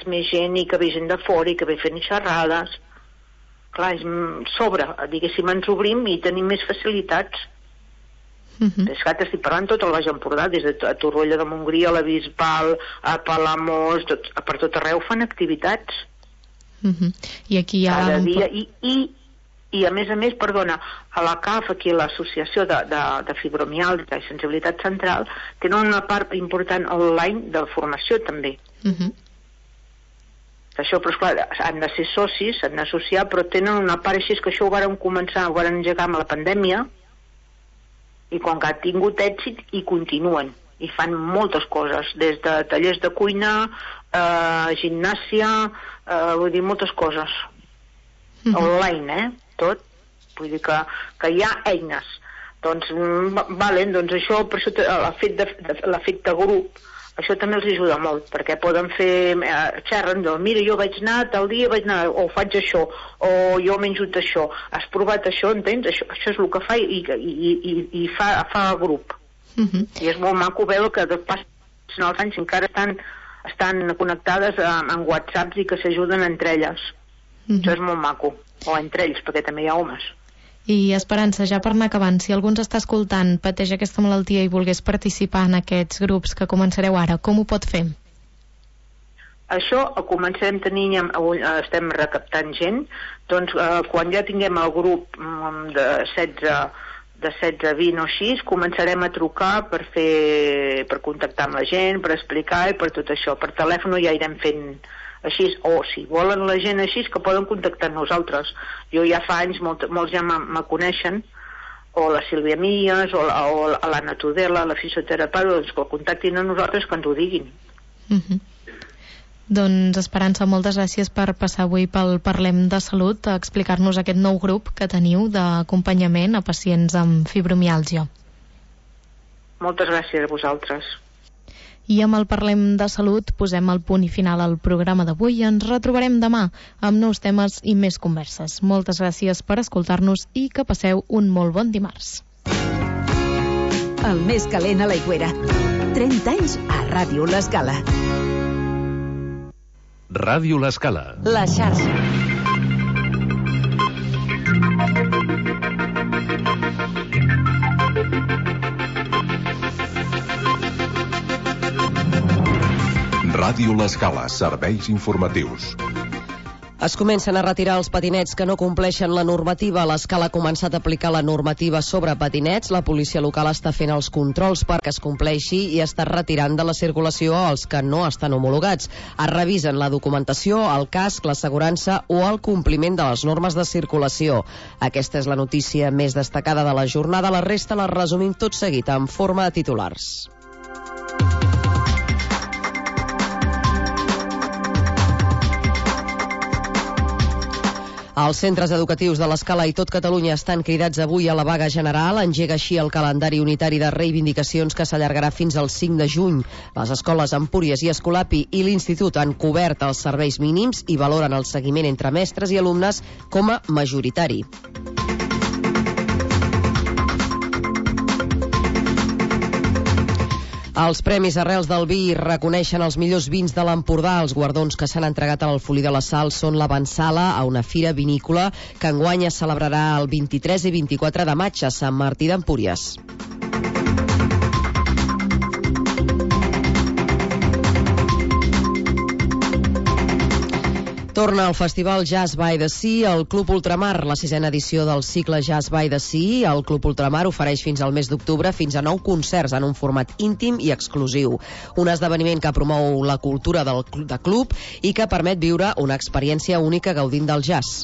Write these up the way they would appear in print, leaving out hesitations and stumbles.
més gent i que ve gent de fora i que ve fent xerrades. Clar, diguéssim, ens obrim i tenim més facilitats. És que t'estic parlant tot el Baix Empordà, des de Torroella de Montgrí, a la Bisbal, a Palamós, per tot arreu fan activitats. I aquí hi ha... Cada dia, i a més, perdona, a la CAF, aquí l'Associació de Fibromiàlgia i Sensibilitat Central, tenen una part important online de formació també. Això, però esclar, han de ser socis, s'han d'associar, però tenen una part així, que això ho varen engegar amb la pandèmia, i quan ha tingut èxit i continuen, i fan moltes coses, des de tallers de cuina, gimnàsia, vull dir, moltes coses. Online, tot. Vull dir que hi ha eines. Doncs, doncs això, per això l'efecte grup, això també els ajuda molt, perquè poden fer, xerren, mira, jo vaig anar tal dia, o faig això, o jo m'he enjut això, has provat això, entens? Això és el que fa i fa grup. I és molt maco veure que passen els anys encara estan connectades en whatsapps i que s'ajuden entre elles. Això és molt maco, o entre ells, perquè també hi ha homes. I Esperança, ja per anar acabant, si algú ens està escoltant, pateix aquesta malaltia i volgués participar en aquests grups que començareu ara, com ho pot fer? Això comencem tenint, estem recaptant gent, doncs quan ja tinguem el grup de 16 a 20 o així, començarem a trucar per contactar amb la gent, per explicar i per tot això. Per telèfon ja irem fent així, o si volen la gent així, que poden contactar amb nosaltres. Jo ja fa anys, molts ja me coneixen, o la Sílvia Millas, o l'Anna Tudela, la fisioterapeuta, doncs que contactin a nosaltres, que ens ho diguin. Doncs Esperança, moltes gràcies per passar avui pel Parlem de Salut a explicar-nos aquest nou grup que teniu d'acompanyament a pacients amb fibromiàlgia. Moltes gràcies a vosaltres. I amb el Parlem de Salut posem el punt i final al programa d'avui. Ens retrobarem demà amb nous temes i més converses. Moltes gràcies per escoltar-nos i que passeu un molt bon dimarts. El més calent a l'Aigüera. 30 anys a Ràdio L'Escala. Ràdio L'Escala. La xarxa. Ràdio L'Escala, serveis informatius. Es comencen a retirar els patinets que no compleixen la normativa. L'Escala ha començat a aplicar la normativa sobre patinets. La policia local està fent els controls perquè es compleixi i està retirant de la circulació els que no estan homologats. Es revisen la documentació, el casc, l'assegurança o el compliment de les normes de circulació. Aquesta és la notícia més destacada de la jornada. La resta la resumim tot seguit en forma de titulars. Els centres educatius de l'Escala i tot Catalunya estan cridats avui a la vaga general. Engega així el calendari unitari de reivindicacions que s'allargarà fins al 5 de juny. Les escoles Empúries i Escolapi i l'Institut han cobert els serveis mínims i valoren el seguiment entre mestres i alumnes com a majoritari. Els Premis Arrels del Vi reconeixen els millors vins de l'Empordà. Els guardons que s'han entregat a l'Alfolí de la Sal són l'Avançala, a una fira vinícola que enguany es celebrarà el 23 i 24 de maig a Sant Martí d'Empúries. Torna al Festival Jazz by the Sea al Club Ultramar, la 6a edició del cicle Jazz by the Sea. El Club Ultramar ofereix fins al mes d'octubre fins a 9 concerts en un format íntim i exclusiu. Un esdeveniment que promou la cultura de club i que permet viure una experiència única gaudint del jazz.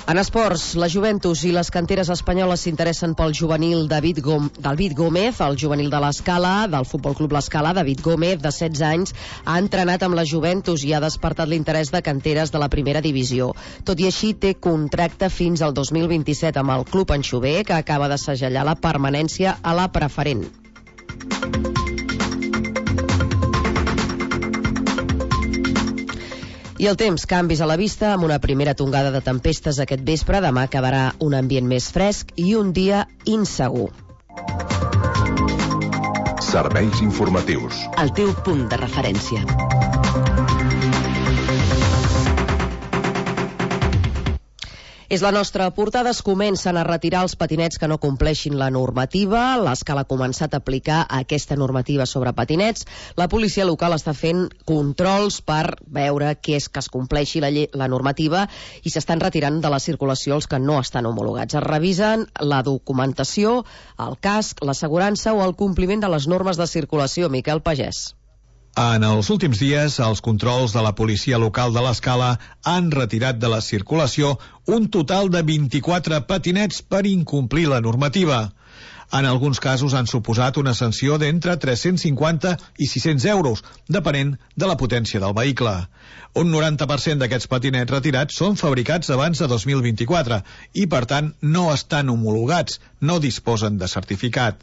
En esports, la Juventus i les canteres espanyoles s'interessen pel juvenil David Gómez, el juvenil de l'Escala, del Futbol Club L'Escala. David Gómez, de 16 anys, ha entrenat amb la Juventus i ha despertat l'interès de canteres de la primera divisió. Tot i així, té contracte fins al 2027 amb el club anxover, que acaba de segellar la permanència a la preferent. I el temps, canvis a la vista, amb una primera tongada de tempestes aquest vespre. Demà quedarà un ambient més fresc i un dia insegur. Serveis informatius. El teu punt de referència. És la nostra portada. Es comencen a retirar els patinets que no compleixin la normativa. L'Escala ha començat a aplicar aquesta normativa sobre patinets. La policia local està fent controls per veure què és que es compleixi la normativa i s'estan retirant de la circulació els que no estan homologats. Es revisen la documentació, el casc, l'assegurança o el compliment de les normes de circulació. Miquel Pagès. En els últims dies, els controls de la policia local de l'Escala han retirat de la circulació un total de 24 patinets per incomplir la normativa. En alguns casos han suposat una sanció d'entre 350 i 600 euros, depenent de la potència del vehicle. Un 90% d'aquests patinets retirats són fabricats abans de 2024 i, per tant, no estan homologats, no disposen de certificat.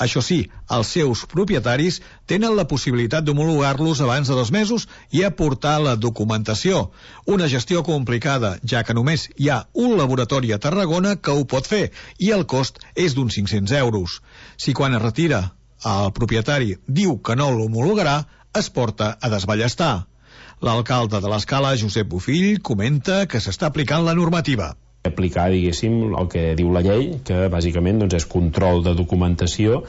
Això sí, els seus propietaris tenen la possibilitat d'homologar-los abans de 2 mesos i aportar la documentació. Una gestió complicada, ja que només hi ha un laboratori a Tarragona que ho pot fer i el cost és d'uns 500 euros. Si quan es retira el propietari diu que no l'homologarà, es porta a desballestar. L'alcalde de l'Escala, Josep Bofill, comenta que s'està aplicant la normativa. Aplicar, diguéssim, el que diu la llei, que bàsicament és control de documentació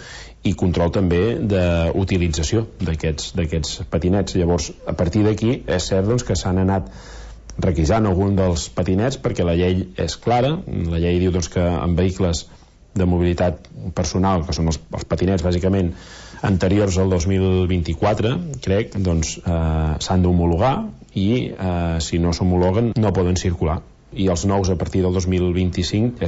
i control també d'utilització d'aquests patinets. Llavors, a partir d'aquí, és cert que s'han anat requisant algun dels patinets perquè la llei és clara. La llei diu que en vehicles de mobilitat personal, que són els patinets bàsicament anteriors al 2024, crec, s'han d'homologar i si no s'homologuen no poden circular. I els nous a partir del 2025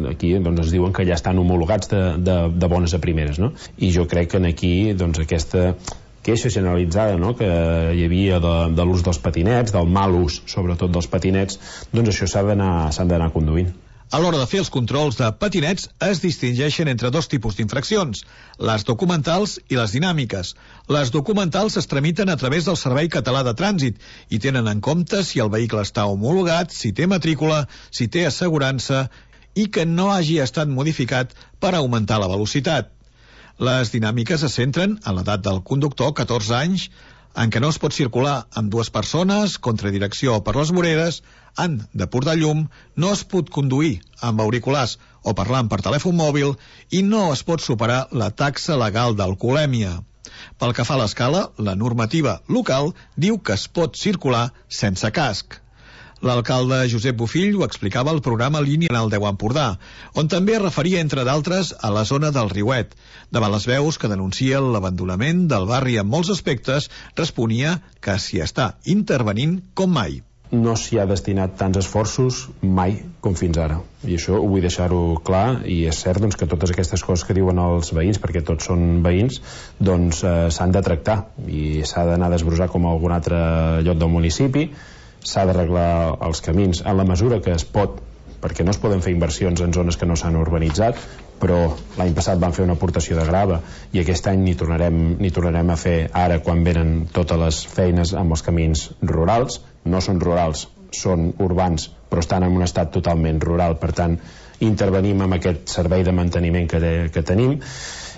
aquí ens diuen que ja estan homologats de bones a primeres, no? I jo crec que aquí aquesta queixa generalitzada que hi havia de l'ús dels patinets, del mal ús sobretot dels patinets, això s'han d'anar conduint. A l'hora de fer els controls de patinets es distingeixen entre 2 tipus d'infraccions, les documentals i les dinàmiques. Les documentals es tramiten a través del Servei Català de Trànsit i tenen en compte si el vehicle està homologat, si té matrícula, si té assegurança i que no hagi estat modificat per augmentar la velocitat. Les dinàmiques es centren en l'edat del conductor, 14 anys, en què no es pot circular amb 2 persones, contradirecció per les voreres, han de portar llum, no es pot conduir amb auriculars o parlant per telèfon mòbil i no es pot superar la taxa legal d'alcoholèmia. Pel que fa a l'Escala, la normativa local diu que es pot circular sense casc. L'alcalde Josep Bofill ho explicava al programa Línia en el 10 Empordà, on també es referia, entre d'altres, a la zona del Riuet. Davant les veus que denuncien l'abandonament del barri en molts aspectes, responia que s'hi està intervenint com mai. No s'hi ha destinat tants esforços mai com fins ara, i això ho vull deixar-ho clar. I és cert que totes aquestes coses que diuen els veïns, perquè tots són veïns, s'han de tractar i s'ha d'anar a desbrossar com a algun altre lloc del municipi. S'ha d'arreglar els camins en la mesura que es pot, perquè no es poden fer inversions en zones que no s'han urbanitzat, però l'any passat van fer una aportació de grava i aquest any n'hi tornarem a fer ara quan venen totes les feines amb els camins rurals. No són rurals, són urbans, però estan en un estat totalment rural. Per tant, intervenim amb aquest servei de manteniment que tenim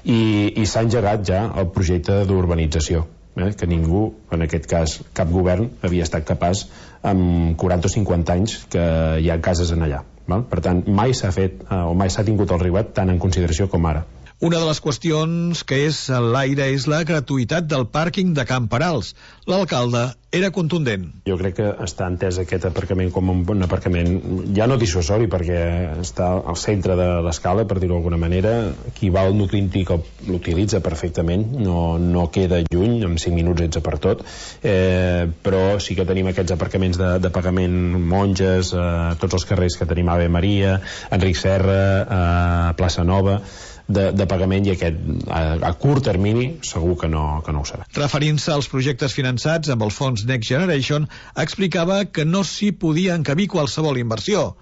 i s'ha engegat ja el projecte d'urbanització, que ningú, en aquest cas cap govern, havia estat capaç amb 40 o 50 anys que hi ha cases en allà. Per tant, mai s'ha fet o mai s'ha tingut el Riuet tant en consideració com ara. Una de les qüestions que és a l'aire és la gratuïtat del pàrquing de Can Perals. L'alcalde era contundent. Jo crec que està entès aquest aparcament com un aparcament ja no dissuasori, perquè està al centre de l'Escala, per dir-ho d'alguna manera. Qui va al nucli antic l'utilitza perfectament, no queda lluny, en 5 minuts ets per tot, però sí que tenim aquests aparcaments de pagament, Monges, tots els carrers que tenim, Ave Maria, Enric Serra, Plaça Nova, de pagament, i aquest a curt termini segur que no ho serà. Referint-se als projectes finançats amb el fons Next Generation, explicava que no s'hi podia encabir qualsevol inversió.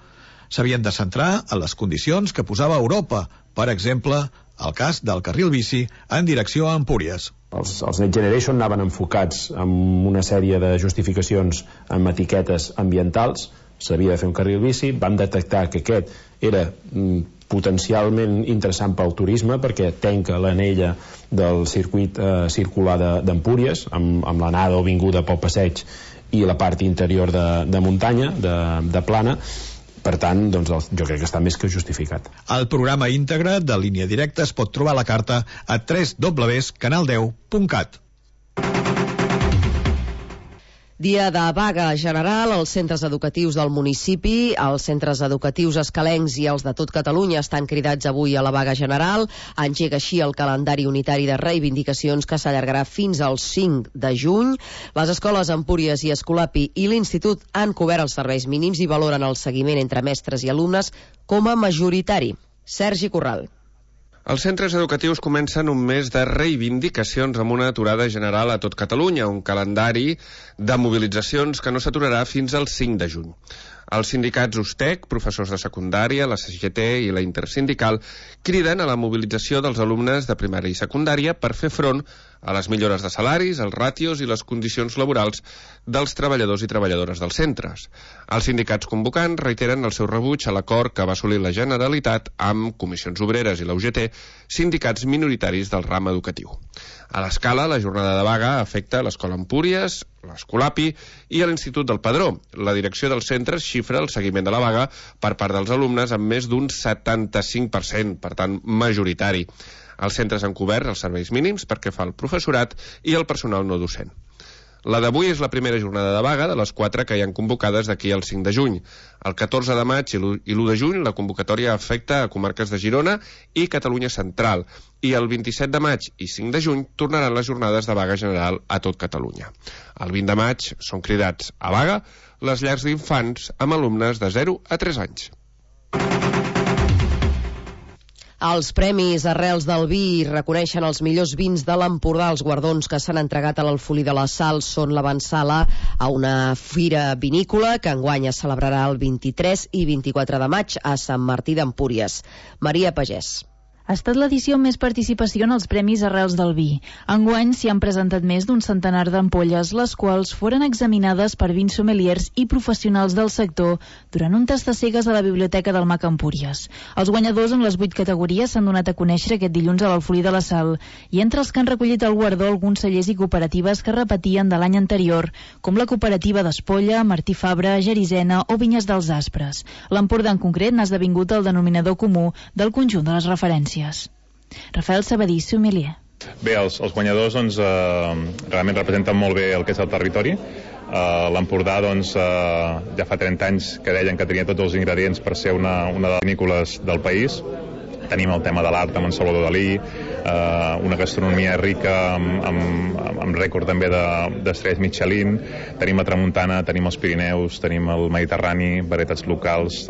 S'havien de centrar en les condicions que posava Europa, per exemple, el cas del carril bici en direcció a Empúries. Els Next Generation anaven enfocats amb una sèrie de justificacions amb etiquetes ambientals, s'havia de fer un carril bici, vam detectar que aquest era potencialment interessant pel turisme perquè tanca l'anella del circuit circular d'Empúries amb l'anada o vinguda pel passeig i la part interior de muntanya, de plana. Per tant, doncs, jo crec que està més que justificat. El programa íntegre de Línia Directa es pot trobar a la carta a www.canal10.cat. Dia de vaga general als centres educatius del municipi. Els centres educatius escalencs i els de tot Catalunya estan cridats avui a la vaga general. Engega així el calendari unitari de reivindicacions que s'allargarà fins al 5 de juny. Les escoles Empúries i Escolapi i l'Institut han cobert els serveis mínims i valoren el seguiment entre mestres i alumnes com a majoritari. Sergi Corral. Els centres educatius comencen un mes de reivindicacions amb una aturada general a tot Catalunya, un calendari de mobilitzacions que no s'aturarà fins al 5 de juny. Els sindicats USTEC, professors de secundària, la CGT i la Intersindical criden a la mobilització dels alumnes de primària i secundària per fer front a les millores de salaris, els ràtios i les condicions laborals dels treballadors i treballadores dels centres. Els sindicats convocants reiteren el seu rebuig a l'acord que va assolir la Generalitat amb Comissions Obreres i la UGT, sindicats minoritaris del ram educatiu. A l'Escala, la jornada de vaga afecta l'Escola Empúries, l'Escolapi i l'Institut del Padró. La direcció dels centres xifra el seguiment de la vaga per part dels alumnes amb més d'un 75%, per tant, majoritari. Els centres han cobert els serveis mínims perquè fa el professorat i el personal no docent. La d'avui és la primera jornada de vaga de les 4 que hi han convocades d'aquí al 5 de juny. El 14 de maig i l'1 de juny la convocatòria afecta a comarques de Girona i Catalunya Central i el 27 de maig i 5 de juny tornaran les jornades de vaga general a tot Catalunya. El 20 de maig són cridats a vaga les llars d'infants amb alumnes de 0 a 3 anys. Els premis Arrels del Vi reconeixen els millors vins de l'Empordà. Els guardons que s'han entregat a l'Alfolí de la Sal són l'avantsala a una fira vinícola que enguany es celebrarà el 23 i 24 de maig a Sant Martí d'Empúries. Maria Pagès. Ha estat l'edició amb més participació en els Premis Arrels del Vi. Enguany s'hi han presentat més d'un centenar d'ampolles, les quals foren examinades per vins sommeliers i professionals del sector durant un tast de cegues a la Biblioteca del Mac Empúries. Els guanyadors en les 8 categories s'han donat a conèixer aquest dilluns a l'Alfolí de la Sal, i entre els que han recollit el guardó alguns cellers i cooperatives que repetien de l'any anterior, com la cooperativa d'Espolla, Martí Fabra, Gerisena o Vinyes dels Aspres. L'Empordà en concret n'ha esdevingut el denominador comú del conjunt de les referències. Rafael Sabadí, sommelier. Bé, els guanyadors doncs, realment representen molt bé el que és el territori. L'Empordà doncs, ja fa 30 anys que deien que tenia tots els ingredients per ser una de les vinícoles del país. Tenim el tema de l'art amb en Salvador Dalí, una gastronomia rica amb rècord també d'estrelles Michelin, tenim la Tramuntana, tenim els Pirineus, tenim el Mediterrani, varietats locals,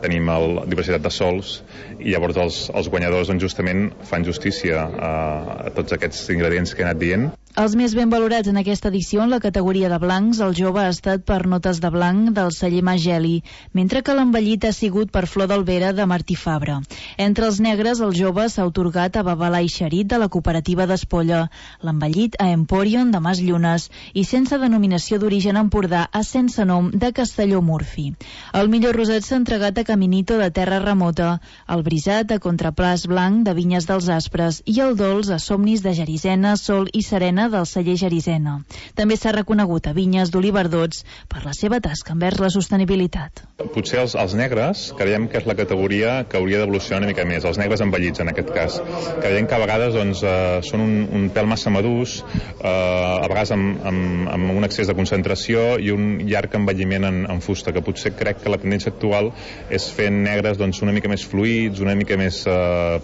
tenim la diversitat de sols, i llavors els guanyadors doncs, justament fan justícia a tots aquests ingredients que he anat dient. Els més ben valorats en aquesta edició en la categoria de blancs, el jove ha estat per Notes de Blanc del celler Mageli, mentre que l'envellit ha sigut per Flor d'Albera de Martí Fabra. Entre els negres, el jove s'ha otorgat a Babalà i Xerit de la cooperativa d'Espolla, l'envellit a Emporion de Mas Llunes i sense denominació d'origen Empordà a Sense Nom de Castelló Murfi. El millor roset s'ha entregat a Caminito de Terra Remota, el brisat a Contraplàs Blanc de Vinyes dels Aspres i el dolç a Somnis de Gerisena, Sol i Serena del celler Gerisena. També s'ha reconegut a Vinyes d'Oliverdots per la seva tasca envers la sostenibilitat. Potser els negres creiem que és la categoria que hauria d'evolucionar una mica més, els negres envellits en aquest cas. Creiem que a vegades doncs, són un pèl massa madurs, a vegades amb un excés de concentració i un llarg envelliment en fusta, que potser crec que la tendència actual és fer negres doncs, una mica més fluids, una mica més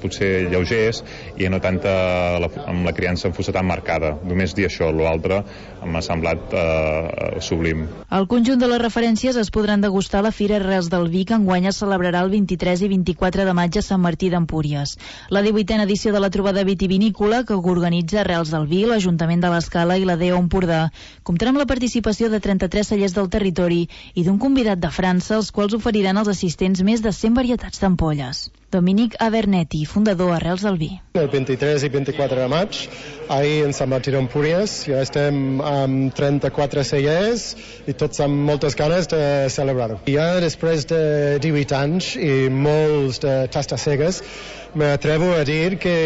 potser lleugers i no tanta amb la criança en fusta tan marcada. Només dir això, l'altre m'ha semblat sublim. El conjunt de les referències es podran degustar a la Fira Arrels del Vi, que enguany es celebrarà el 23 i 24 de maig a Sant Martí d'Empúries. La 18a edició de la trobada vitivinícola, que organitza Arrels del Vi, l'Ajuntament de l'Escala i la DEO Empordà, comptarà amb la participació de 33 cellers del territori i d'un convidat de França, els quals oferiran als assistents més de 100 varietats d'ampolles. Dominic Abernetti, fundador Arrels del Vi. El 23 i 24 de maig, ahir en Sant Martí d'Empúries, ja estem amb 34 cellers i tots amb moltes ganes de celebrar-ho. Ja després de 18 anys i molts de tastes cegues, m'atrevo a dir que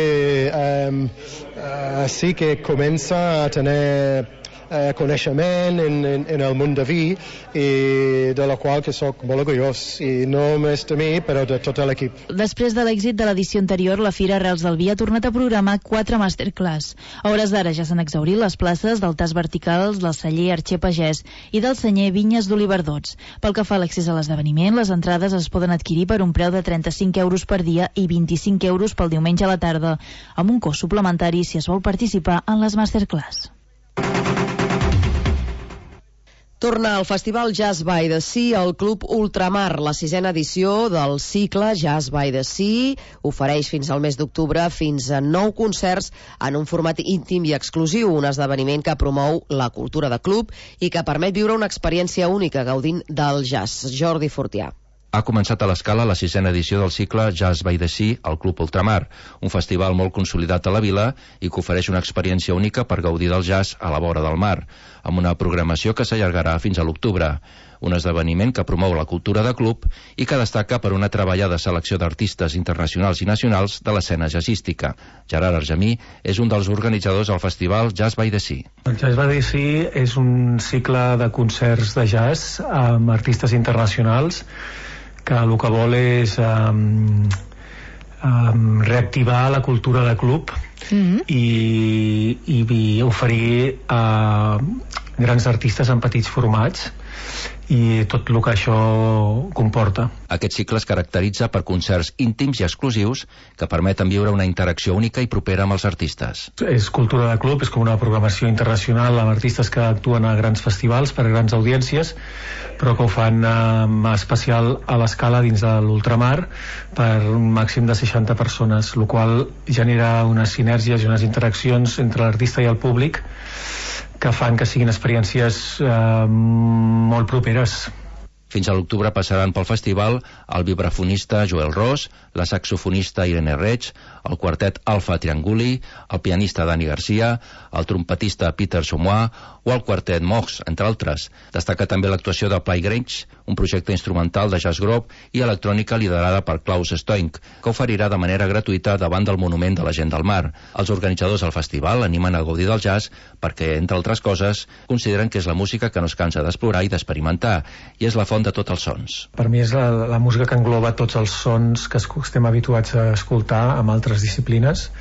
sí que comença a tenir coneixement en el món de vi i de la qual que soc molt orgullós, i no només de mi però de tot l'equip. Després de l'èxit de l'edició anterior, la Fira Arrels del Vi ha tornat a programar 4 masterclass. A hores d'ara ja s'han exhaurit les places del Tas Verticals, del celler Arxer Pagès i del senyer Vinyes d'Oliverdots. Pel que fa a l'accés a l'esdeveniment, les entrades es poden adquirir per un preu de 35 euros per dia i 25 euros pel diumenge a la tarda, amb un cost suplementari si es vol participar en les masterclass. Torna al Festival Jazz by the Sea al Club Ultramar. La 6a edició del cicle Jazz by the Sea ofereix fins al mes d'octubre fins a 9 concerts en un format íntim i exclusiu, un esdeveniment que promou la cultura de club i que permet viure una experiència única gaudint del jazz. Jordi Fortià. Ha començat a l'Escala la 6a edició del cicle Jazz by the Sea al Club Ultramar, un festival molt consolidat a la vila i que ofereix una experiència única per gaudir del jazz a la vora del mar, amb una programació que s'allargarà fins a l'octubre. Un esdeveniment que promou la cultura de club i que destaca per una treballada selecció d'artistes internacionals i nacionals de l'escena jazzística. Gerard Argemí és un dels organitzadors del festival Jazz by the Sea. El Jazz by the Sea és un cicle de concerts de jazz amb artistes internacionals que el que vol és reactivar la cultura de club i oferir grans artistes en petits formats i tot el que això comporta. Aquest cicle es caracteritza per concerts íntims i exclusius que permeten viure una interacció única i propera amb els artistes. És cultura de club, és com una programació internacional amb artistes que actuen a grans festivals per a grans audiències, però que ho fan especial a l'Escala dins de l'Ultramar per un màxim de 60 persones, el qual genera unes sinergies i unes interaccions entre l'artista i el públic que fan que siguin experiències molt properes. Fins a l'octubre passaran pel festival el vibrafonista Joel Ros, la saxofonista Irene Reig, el quartet Alfa Trianguli, el pianista Dani Garcia, el trompetista Peter Somois o el quartet Mox, entre altres. Destaca també l'actuació de Playgrange, un projecte instrumental de jazz grove i electrònica liderada per Klaus Stoink, que oferirà de manera gratuïta davant del Monument de la Gent del Mar. Els organitzadors del festival animen a gaudir del jazz perquè, entre altres coses, consideren que és la música que no es cansa d'explorar i d'experimentar, i és la font de tots els sons. Per mi és la música que engloba tots els sons que estem habituats a escoltar amb altres disciplines.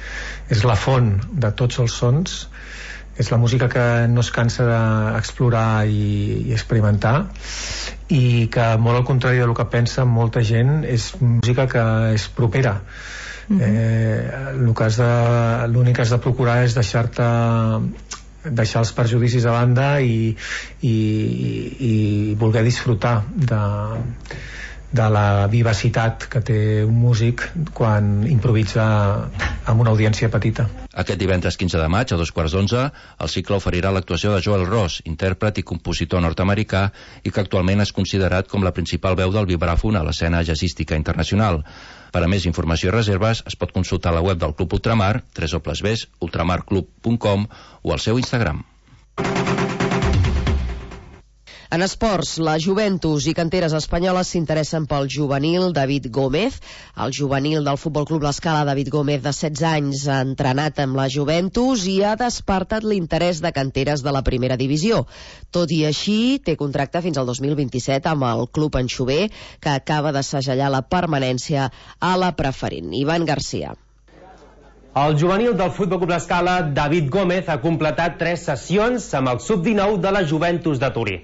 És la font de tots els sons, és la música que no es cansa d'explorar i experimentar, i que, molt al contrari del que pensa molta gent, és música que és propera. L'únic que has de procurar és deixar els prejudicis a banda i voler disfrutar de la vivacitat que té un músic quan improvisa amb una audiència petita. Aquest divendres 15 de maig, a 2:15, el cicle oferirà l'actuació de Joel Ross, intèrpret i compositor nord-americà i que actualment és considerat com la principal veu del vibràfon a l'escena jazzística internacional. Per a més informació i reserves es pot consultar la web del Club Ultramar, www.ultramarclub.com, o al seu Instagram. En esports, la Juventus i canteres espanyoles s'interessen pel juvenil David Gómez. El juvenil del Futbol Club L'Escala, David Gómez, de 16 anys, ha entrenat amb la Juventus i ha despertat l'interès de canteres de la primera divisió. Tot i així, té contracte fins al 2027 amb el club anxover, que acaba de segellar la permanència a la preferent. Ivan Garcia. El juvenil del Futbol Club L'Escala, David Gómez, ha completat 3 sessions amb el sub-19 de la Juventus de Turí.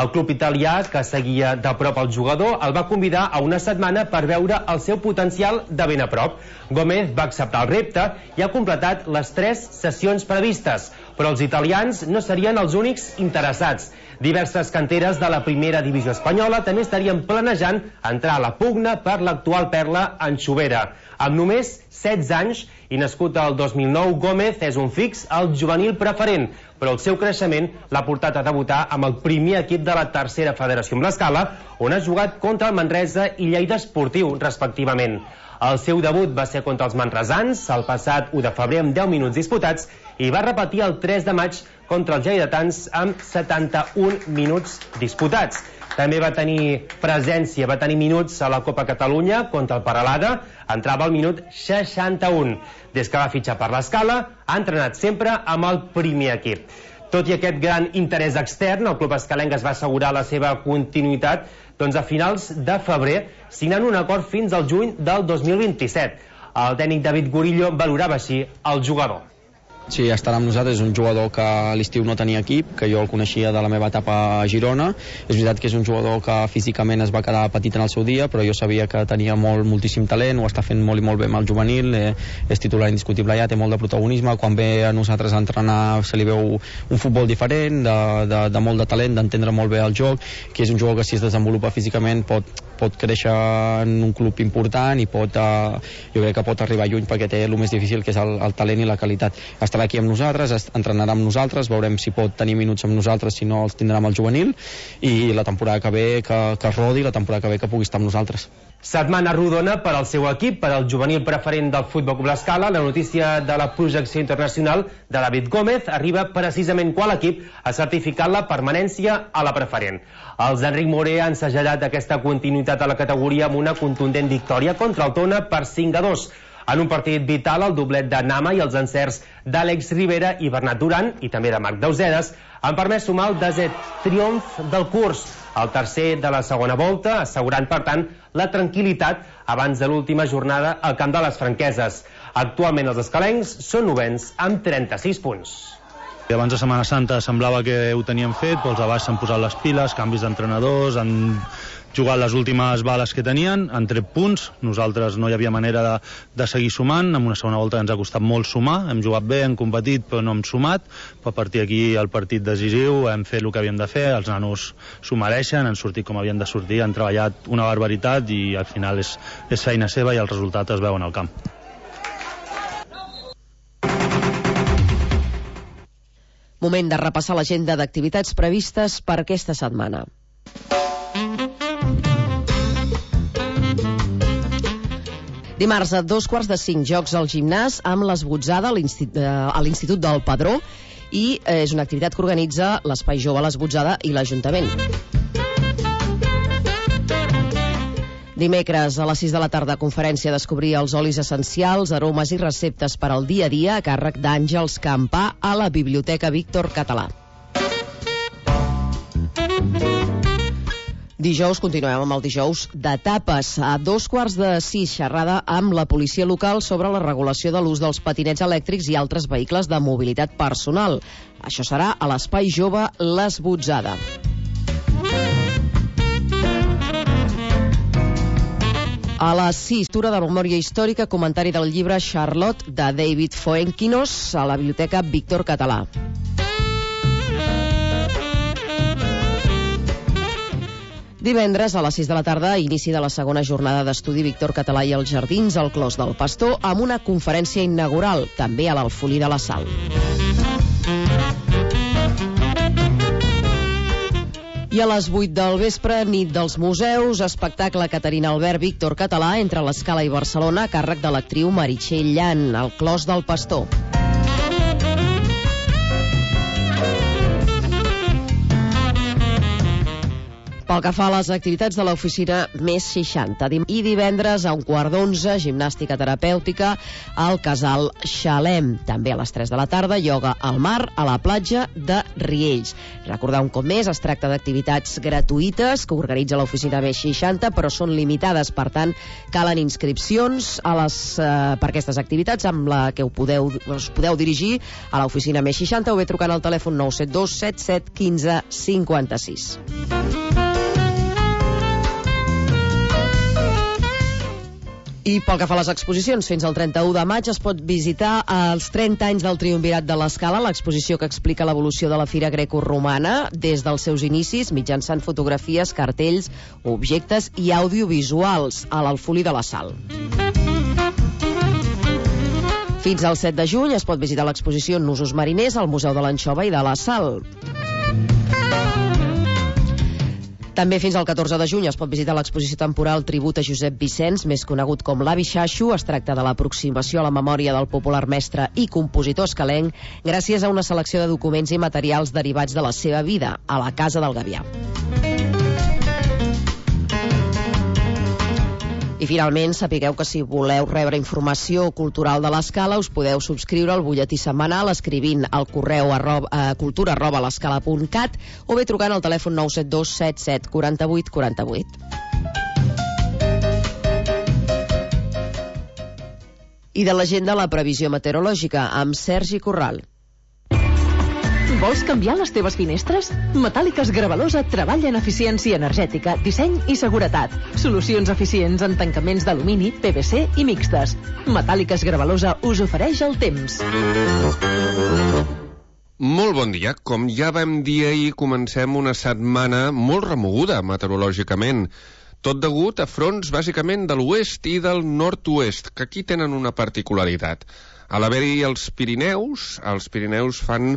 El club italià, que seguia de prop el jugador, el va convidar a una setmana per veure el seu potencial de ben a prop. Gómez va acceptar el repte i ha completat les 3 sessions previstes, però els italians no serien els únics interessats. Diverses canteres de la primera divisió espanyola també estarien planejant entrar a la pugna per l'actual perla anxovera. Amb només 16 anys i nascut el 2009, Gómez és un fix al juvenil preferent, però el seu creixement l'ha portat a debutar amb el primer equip de la tercera federació amb l'Escala, on ha jugat contra el Manresa i Lleida Esportiu, respectivament. El seu debut va ser contra els manresans el passat 1 de febrer amb 10 minuts disputats i va repetir el 3 de maig contra els lleidatans amb 71 minuts disputats. També va tenir presència, va tenir minuts a la Copa Catalunya contra el Peralada, entrava al minut 61. Des que va fitxar per l'Escala, ha entrenat sempre amb el primer equip. Tot i aquest gran interès extern, el club escalenc es va assegurar la seva continuïtat a finals de febrer, signant un acord fins al juny del 2027. El tècnic David Gorillo valorava així el jugador. Sí, estarà amb nosaltres, és un jugador que a l'estiu no tenia equip, que jo el coneixia de la meva etapa a Girona. És veritat que és un jugador que físicament es va quedar petit en el seu dia, però jo sabia que tenia moltíssim talent, ho està fent molt i molt bé amb el juvenil, és titular indiscutible ja, té molt de protagonisme, quan ve a nosaltres a entrenar se li veu un futbol diferent, de molt de talent, d'entendre molt bé el joc, que és un jugador que si es desenvolupa físicament pot créixer en un club important i jo crec que pot arribar lluny perquè té el més difícil, que és el talent i la qualitat. Estarà aquí amb nosaltres, entrenarà amb nosaltres, veurem si pot tenir minuts amb nosaltres, si no els tindrà amb el juvenil, i la temporada que ve que es rodi, la temporada que ve que pugui estar amb nosaltres. Setmana rodona per al seu equip, per al juvenil preferent del Futbol Club L'Escala. La notícia de la projecció internacional de David Gómez arriba precisament quan l'equip ha certificat la permanència a la preferent. Els d'Enric Moré han segellat aquesta continuïtat a la categoria amb una contundent victòria contra el Tona per 5-2. En un partit vital, el doblet de Nama i els encerts d'Àlex Rivera i Bernat Duran, i també de Marc Dausedes, han permès sumar el 10è triomf del curs, el tercer de la segona volta, assegurant, per tant, la tranquil·litat abans de l'última jornada al camp de les Franqueses. Actualment els escalencs són novens amb 36 punts. Abans de Setmana Santa semblava que ho teníem fet, però els de baix s'han posat les piles, canvis d'entrenadors, han jugat les últimes bales que tenien, han tret punts, nosaltres no hi havia manera de seguir sumant, en una segona volta ens ha costat molt sumar, hem jugat bé, hem competit però no hem sumat, però a partir d'aquí el partit decisiu hem fet el que havíem de fer, els nanos s'ho mereixen, han sortit com havien de sortir, han treballat una barbaritat i al final és feina seva i el resultat es veu en el camp. Moment de repassar l'agenda d'activitats previstes per aquesta setmana. Dimarts a 4:45 jocs al gimnàs amb l'esbotzada a l'Institut del Padró i és una activitat que organitza l'Espai Jove, l'Esbotzada i l'Ajuntament. Dimecres a les 6 de la tarda, conferència Descobrir els olis essencials, aromes i receptes per al dia a dia a càrrec d'Àngels Campà a la Biblioteca Víctor Català. Dijous, continuem amb el dijous de tapes. A 5:15, xerrada amb la policia local sobre la regulació de l'ús dels patinets elèctrics i altres vehicles de mobilitat personal. Això serà a l'Espai Jove l'Esbotzada. A les 6, lectura de memòria històrica, comentari del llibre Charlotte de David Fuenquinos a la Biblioteca Víctor Català. Divendres, a les 6 de la tarda, inici de la segona jornada d'estudi Víctor Català i els Jardins al Clos del Pastor amb una conferència inaugural, també a l'Alfolí de la Sal. I a les 8 del vespre, nit dels museus, espectacle Caterina Albert Víctor Català entre l'Escala i Barcelona a càrrec de l'actriu Meritxell Llan, al Clos del Pastor. Pel que fa a les activitats de l'oficina Més 60, i divendres a 11:15, gimnàstica terapèutica al Casal Xalem. També a les 3 de la tarda, ioga al mar a la platja de Riells. Recordar un cop més, es tracta d'activitats gratuïtes que organitza l'oficina Més 60, però són limitades, per tant, calen inscripcions per aquestes activitats amb la que us podeu dirigir a l'oficina Més 60 o bé trucant al telèfon 972 77 15 56. I pel que fa a les exposicions, fins al 31 de maig es pot visitar els 30 anys del Triumvirat de l'Escala, l'exposició que explica l'evolució de la Fira Grecoromana des dels seus inicis, mitjançant fotografies, cartells, objectes i audiovisuals a l'Alfolí de la Sal. Fins al 7 de juny es pot visitar l'exposició Nusos Mariners al Museu de l'Anxova i de la Sal. També fins al 14 de juny es pot visitar l'exposició temporal Tribut a Josep Vicenç, més conegut com l'Avi Xaxo. Es tracta de l'aproximació a la memòria del popular mestre i compositor escalenc gràcies a una selecció de documents i materials derivats de la seva vida a la Casa del Gavià. I finalment, sapigueu que si voleu rebre informació cultural de l'Escala us podeu subscriure al butlletí setmanal escrivint al correu cultura@l'escala.cat o bé trucant al telèfon 972 77 48 48. I de l'agenda, la previsió meteorològica amb Sergi Corral. Vols canviar les teves finestres? Metàl·liques Gravalosa treballa en eficiència energètica, disseny i seguretat. Solucions eficients en tancaments d'alumini, PVC i mixtes. Metàl·liques Gravalosa us ofereix el temps. Molt bon dia. Com ja vam dir ahir, comencem una setmana molt remoguda meteorològicament. Tot degut a fronts bàsicament de l'oest i del nord-oest, que aquí tenen una particularitat. A l'haver-hi els Pirineus fan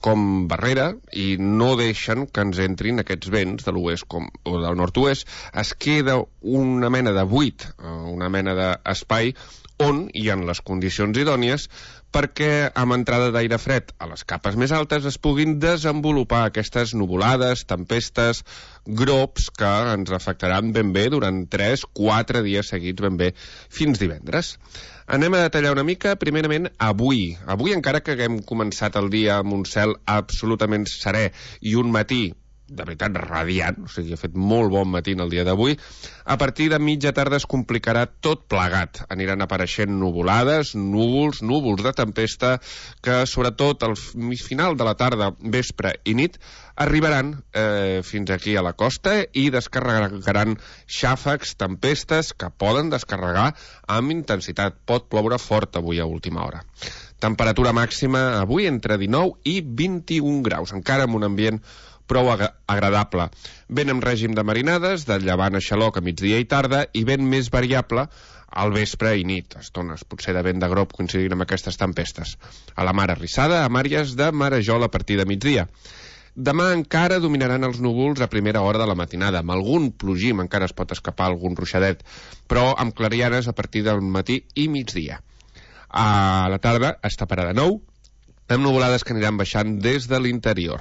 com barrera i no deixen que ens entrin aquests vents de l'oest o del nord-oest. Es queda una mena de buit, una mena d'espai on hi ha les condicions idònies perquè amb entrada d'aire fred a les capes més altes es puguin desenvolupar aquestes nuvolades, tempestes, grops que ens afectaran ben bé durant 3-4 dies seguits ben bé fins divendres. Anem a detallar una mica, primerament, avui. Avui, encara que haguem començat el dia amb un cel absolutament serè i un matí de veritat radiant, o sigui, ha fet molt bon matí el dia d'avui, a partir de mitja tarda es complicarà tot plegat. Aniran apareixent nuvolades, núvols de tempesta, que sobretot al final de la tarda, vespre i nit, arribaran fins aquí a la costa i descarregaran xàfecs, tempestes, que poden descarregar amb intensitat. Pot ploure fort avui a última hora. Temperatura màxima avui entre 19 i 21 graus, encara amb un ambient prou agradable. Vent amb règim de marinades, de llevant a xaloc a migdia i tarda, i vent més variable al vespre i nit. Estones potser de vent de grob coincidint amb aquestes tempestes. A la mar arrissada, a àrees de marejol a partir de migdia. Demà encara dominaran els núvols a primera hora de la matinada, amb algun plogim, encara es pot escapar algun ruixadet, però amb clarianes a partir del matí i migdia. A la tarda es taparà de nou, amb nuvolades que aniran baixant des de l'interior.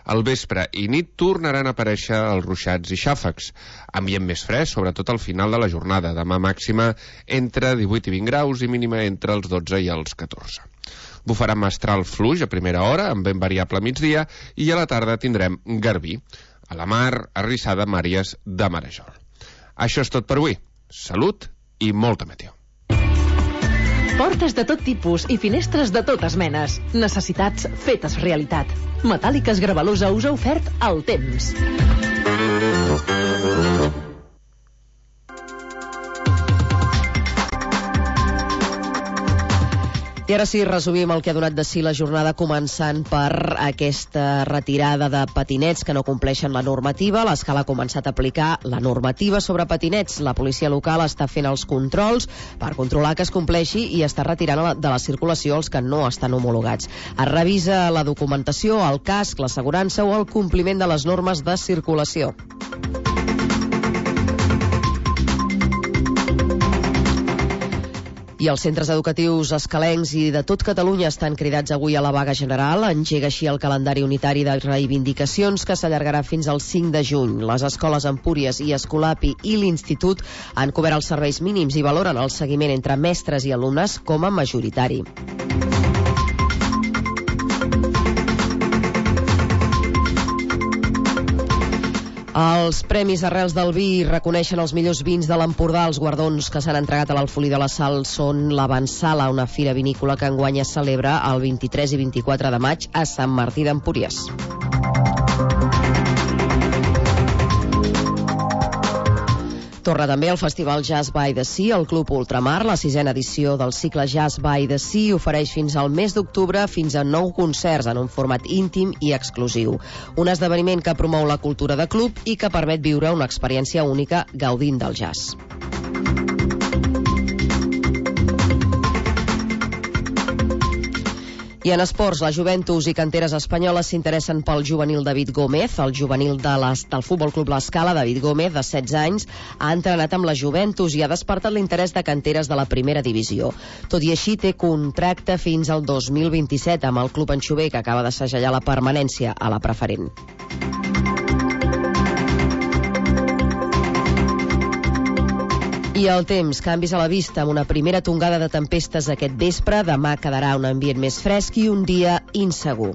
Al vespre i nit tornaran a aparèixer els ruixats i xàfecs. Ambient més fresc, sobretot al final de la jornada. Demà màxima entre 18 i 20 graus i mínima entre els 12 i els 14. Bufarà mestral fluix a primera hora, amb vent variable a migdia, i a la tarda tindrem garbí. A la mar, arrissada amb àrees de marejol. Això és tot per avui. Salut i molta meteo. Portes de tot tipus i finestres de totes menes. Necessitats fetes realitat. Metàl·liques Gravalosa us ha ofert el temps. I ara sí, resumim el que ha donat de si la jornada, començant per aquesta retirada de patinets que no compleixen la normativa. L'Escala ha començat a aplicar la normativa sobre patinets. La policia local està fent els controls per controlar que es compleixi i està retirant de la circulació els que no estan homologats. Es revisa la documentació, el casc, l'assegurança o el compliment de les normes de circulació. I els centres educatius escalencs i de tot Catalunya estan cridats avui a la vaga general. Engega així el calendari unitari de reivindicacions que s'allargarà fins al 5 de juny. Les escoles Empúries i Escolapi i l'Institut han cobert els serveis mínims i valoren el seguiment entre mestres i alumnes com a majoritari. Els Premis Arrels del Vi reconeixen els millors vins de l'Empordà. Els guardons que s'han entregat a l'Alfolí de la Sal són l'Avançala, una fira vinícola que enguany es celebra el 23 i 24 de maig a Sant Martí d'Empúries. Torna també el Festival Jazz by the Sea al Club Ultramar. La 6a edició del cicle Jazz by the Sea ofereix fins al mes d'octubre fins a 9 concerts en un format íntim i exclusiu. Un esdeveniment que promou la cultura de club i que permet viure una experiència única gaudint del jazz. I en esports, la Juventus i canteres espanyoles s'interessen pel juvenil David Gómez. El juvenil del Futbol Club L'Escala, David Gómez, de 16 anys, ha entrenat amb la Juventus i ha despertat l'interès de canteres de la primera divisió. Tot i així, té contracte fins al 2027 amb el club anxover, que acaba de segellar la permanència a la preferent. I el temps, canvis a la vista amb una primera tongada de tempestes aquest vespre. Demà quedarà un ambient més fresc i un dia insegur.